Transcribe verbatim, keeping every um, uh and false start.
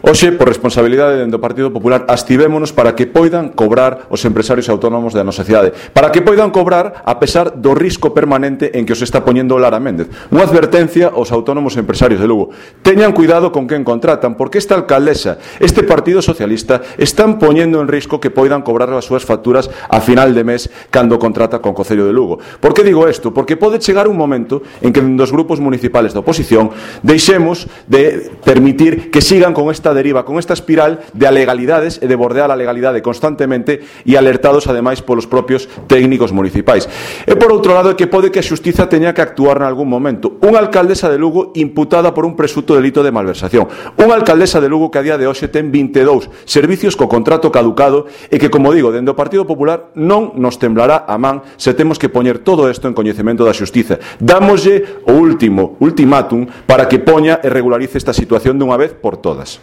Hoxe, por responsabilidade do Partido Popular, abstivémonos para que poidan cobrar os empresarios autónomos da nosa cidade, para que poidan cobrar a pesar do risco permanente en que os está poñendo Lara Méndez. Unha advertencia aos autónomos empresarios de Lugo: teñan cuidado con quen contratan, porque esta alcaldesa, este Partido Socialista, están poñendo en risco que poidan cobrar as súas facturas a final de mes cando contrata con Concello de Lugo. Por que digo isto? Porque pode chegar un momento en que dos grupos municipales da oposición deixemos de permitir que sigan con esta deriva, con esta espiral de alegalidades e de bordear a legalidade constantemente e alertados ademais polos propios técnicos municipais. E por outro lado, é que pode que a xustiza teña que actuar en algún momento. Unha alcaldesa de Lugo imputada por un presunto delito de malversación. Unha alcaldesa de Lugo que a día de hoxe ten vinte e dous servicios co contrato caducado e que, como digo, dende o Partido Popular non nos temblará a man se temos que poñer todo isto en coñecemento da xustiza. Dámoslle o último ultimátum para que poña e regularice esta situación dunha vez por todas.